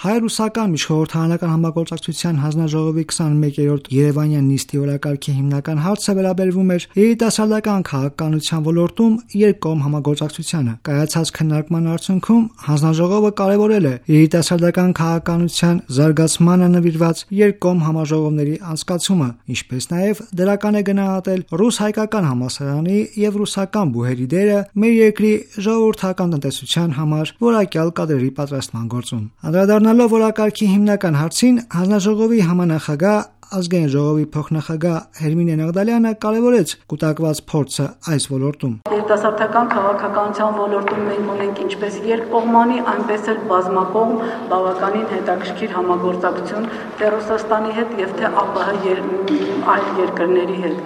Հայ-ռուսական միջխորհրդարանական համագործակցության հանձնաժողովի 21-րդ Երևանյան նիստի օրակարգի հիմնական հարցը վերաբերվում էր երիտասարդական քաղաքականության ոլորտում երկկողմ համագործակցությանը։ Կայացած քննարկման արդյունքում հանձնաժողովը կարևորել է երիտասարդական քաղաքականության զարգացմանը նվիրված երկկողմ համաժողովների անցկացումը, ինչպես նաև դրական է գնահատել ռուս-հայկական համալսարանի եւ ռուսական բուհերի դերը մեր երկրի ժողովրդական տնտեսության համար որակյալ կադրերի պատրաստման գործում։ Անդրադառնալով օրակարգի հիմնական հարցին, հանձնաժողովի համանախագահ Ազգային ժողովի փոխնախագահ Հերմինե Նաղդալյանը կարևորեց կուտակված փորձը այս ոլորտում։ Երիտասարդական քաղաքականության ոլորտում մենք ունենք ինչպես երկկողմանի, այնպես էլ բազմակողմ բավականին հետաքրքիր համագործակցություն թե Ռուսաստանի հետ եւ թե ԱՊՀ այլ երկրների հետ։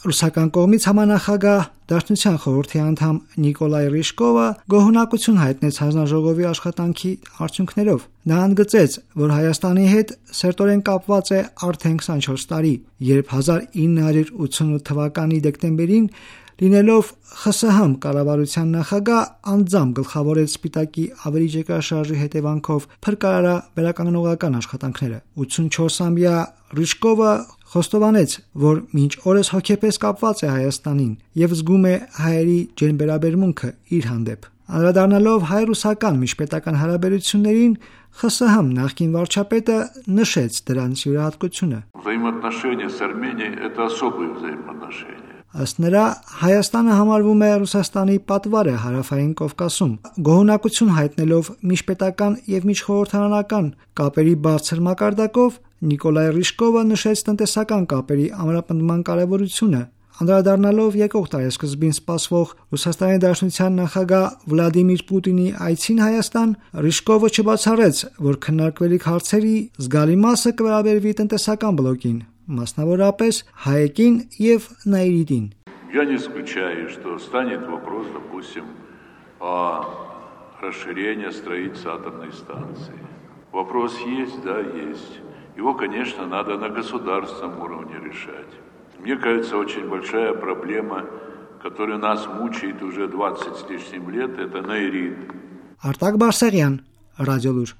Ռուսական կողմից համանախագահ Դաշնության խորհրդի անդամ Նիկոլայ Ռիշկովը գոհունակություն հայտնեց հանձնաժողովի աշխատանքի արդյունքներով։ Նա ընդգծեց, որ Հայաստանի հետ սերտորեն կապված է արդեն 24 տարի, երբ 1988 թվականի դեկտեմբերին լինելով ԽՍՀՄ կառավարության նախագահ անձամբ գլխավորեց Սպիտակի ավելի երկրաշարժի հետևանքով փրկարարաբերականողական աշխատանքները։ 84-ամյա Ռիշկովը խոստովանեց, որ մինչ օրս հոգեպես կապված է Հայաստանին եւ զգում է հայերի ջերմբերաբերմունքը իր հանդեպ։ Անդրադառնալով հայ-ռուսական միջպետական հարաբերություններին, ԽՍՀՄ նախկին վարչապետը նշեց դրանց յուրահատկությունը։ Взаимоотношения с Арменией – это особые взаимоотношения. Ըստ նրա, Հայաստանը համարվում է Ռուսաստանի պատվարը Հարավային Կովկասում։ Գոհունակություն հայտնելով միջպետական եւ միջխորհրդարանական կապերի բարձր մակարդակով, Նիկոլայ Ռիշկովը նշեց տնտեսական կապերի ամրապնդման կարևորությունը։ Անդրադառնալով եկող տարեսկզբին սպասվող Ռուսաստանի Դաշնության նախագահ Վլադիմիր Պուտինի այցին Հայաստան, Ռիշկովը չբացառեց, որ քննարկվելիք հարցերի զգալի մասը կվերաբերվի տնտեսական բլոկին, մասնավորապես հայեկին եւ նաիրիտին։ Я не исключаю, что станет вопрос, допустим, о расширении строительства атомной станции. Вопрос есть, да, есть. Его, конечно, надо на государственном уровне решать. Мне кажется, очень большая проблема, которая нас мучает уже 20 с лишним лет, это наирит. Արտակ Բարսեղյան, Ռադիոլուր։